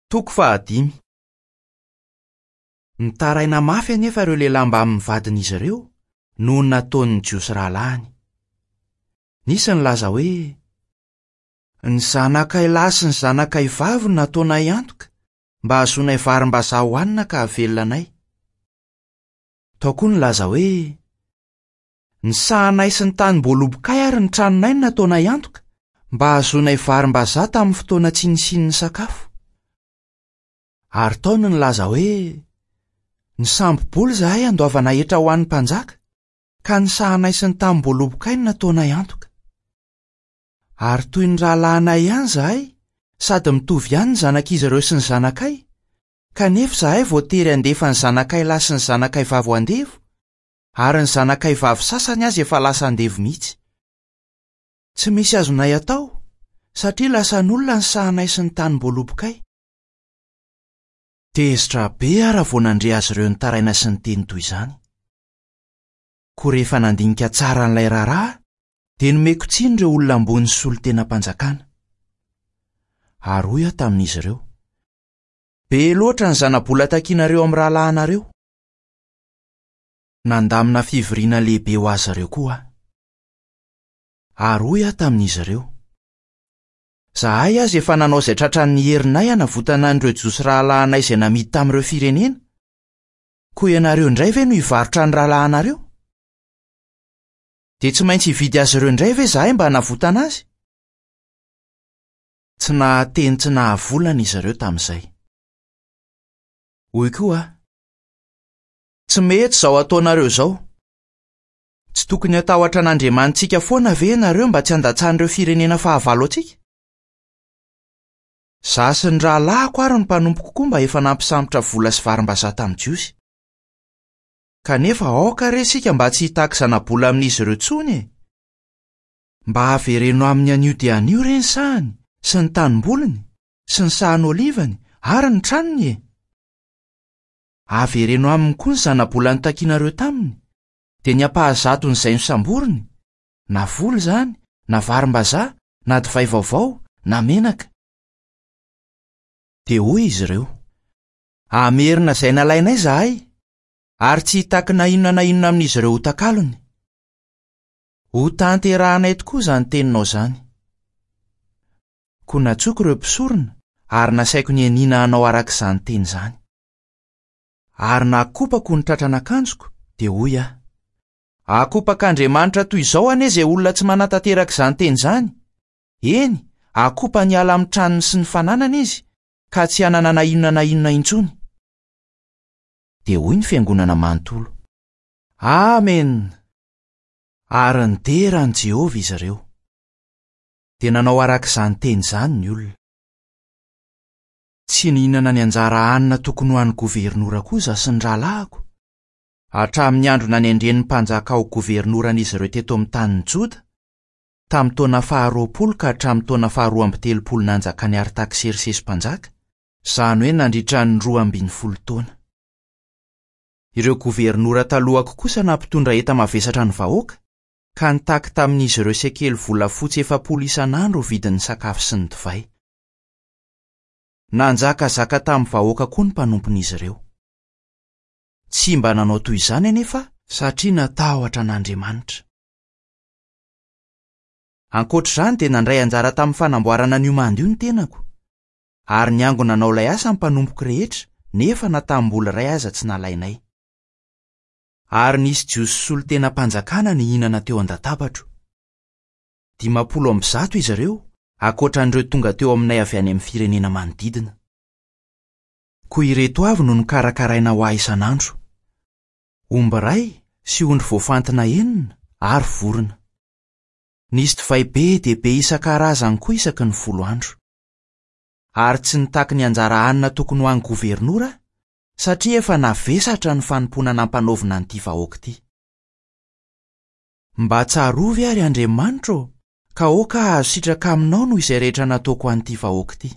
Toko fahadimy. Nitaraina mafy anefa ireo lehilahy mbamin'ny vadin'izy ireo noho ny nataon'ny Jiosy rahalahiny. Nisy nilaza hoe, Ny zanakay lahy sy ny zanakay vavy no nataonay antoka mba hahazoanay varimbazaha hohanina ka hahavelona anay. Tao koa ny nilaza hoe, Ny sahanay sy ny tanim-boalobokay ary ny tranonay no nataonay antoka mba hahazoanay varimbazaha tamin'ny fotoana tsy nisian'ny sakafo. Ary tao ny nilaza hoe, Nisambo-bola izahay handoavana hetra ho an'ny mpanjaka, ka ny sahanay sy ny tanim-boalobokay no nataonay antoka. Ary toy ny rahalahinay ihany izahay, sady mitovy ihany ny zanak'izy ireo sy ny zanakay, kanefa izahay voatery handefa ny zanakay lahy sy ny zanakay vavy ho andevo, ary ny zanakay vavy sasany aza efa lasa andevo mihitsy. Tsy misy azonay atao, satria lasan'olona ny sahanay sy ny tanim-boalobokay. Tezitra be aho raha vao nandre azy ireo nitaraina sy niteny toy izany. Koa rehefa nandinika tsara an'ilay raharaha aho, dia nomeko tsiny ireo olona ambony sy solontenam-panjakana. Ary hoy aho tamin'izy ireo, Be loatra ny zana-bola takinareo amin'ny rahalahinareo. Nandamina fivoriana lehibe ho azy ireo koa aho. Ary hoy aho tamin'izy ireo, Izahay aza efa nanao izay tratran'ny herinay hanavotana an'ireo Jiosy rahalahinay izay namidy tamin'ireo firenena. Koa ianareo indray ve no hivarotra ny rahalahinareo? Dia tsy maintsy hividy azy ireo indray ve izahay mba hanavotana azy? Tsy nahateny tsy nahavolana izy ireo tamin'izay. Hoy koa aho, Tsy mety izao ataonareo izao. Tsy tokony hatahotra an'Andriamanitsika foana ve ianareo mba tsy handatsan'ireo firenena fahavalo antsika? Izaho sy ny rahalahiko ary ny mpanompoko koa mba efa nampisambotra vola sy varimbazaha tamin'ny Jiosy. Kanefa aoka re isika mba tsy hitaky zana-bola amin'izy ireo intsony e! Mba avereno aminy anio dia anio re ny sahany sy ny tanimboliny sy ny sahan'olivany ary ny tranony e! Avereno aminy koa ny zana-bola notakianareo taminy, dia ny ampahazaton'izay nosamboriny, na vola izany, na varimbazaha, na divay vaovao, na menaka. Dia hoy izy ireo, Hamerina izay nalainay izahay, ary tsy hitaky na inona na inona amin'izy ireo ho takalony. Hotanterahanay tokoa izany teninao izany. Koa nantsoiko ireo mpisorona ary nasaiko nianiana hanao araka izany teny izany. Ary nakopako ny tratran'akanjoko, dia hoy aho, Akopak'Andriamanitra toy izao anie izay olona tsy manatanteraka izany teny izany! Eny, akopany hiala amin'ny tranony sy ny fananany izy, ka tsy hanana na inona na inona intsony. Dia hoy ny fiangonana manontolo, Amena! Ary nidera an'i Jehovah izy ireo. Dia nanao araka izany teny izany ny olona. Tsy nihinana ny anjara hanina tokony ho an'ny governora koa izaho sy ny rahalahiko, hatramin'ny andro nanendren'ny mpanjaka ho governoran'izy ireo teto amin'ny tanin'i Joda, tamin'ny taona faharoapolo ka hatramin'ny taona faharoa amby telopolo nanjakan'i Artaksersesy mpanjaka, izany hoe nandritra ny 12 taona. Ireo governora talohako kosa nampitondra enta-mavesatra ny vahoaka, ka nitaky tamin'izy ireo sekely volafotsy 40 isan'andro ho vidin'ny sakafo sy ny divay. Nanjakazaka tamin'ny vahoaka koa ny mpanompon'izy ireo. Tsy mba nanao toy izany anefa aho satria natahotra an'Andriamanitra. Ankoatra izany dia nandray anjara tamin'ny fanamboarana an'io manda io ny tenako, ary niangona nanao ilay asa ny mpanompoko rehetra nefa na tamim-bola iray aza tsy nalainay. Ary nisy Jiosy solontenam-panjakana nihinana teo an-databatro. 150 izy ireo, ankoatra an'ireo tonga teo aminay avy any amin'ny firenena manodidina. Koa ireto avy no nokarakaraina ho ahy isan'andro, Omby iray sy ondry voafantina enina ary vorona. Nisy divay be dia be isan-karazany koa isaky ny 10 andro. Ary tsy nitaky ny anjara hanina tokony ho an'ny governora aho, satria efa navesatra ny fanompoana nampanaovina an'ity vahoaka ity. Mba tsarovy àry Andriamanitra ô, ka aoka hahazo sitraka aminao noho izay rehetra nataoko ho an'ity vahoaka ity.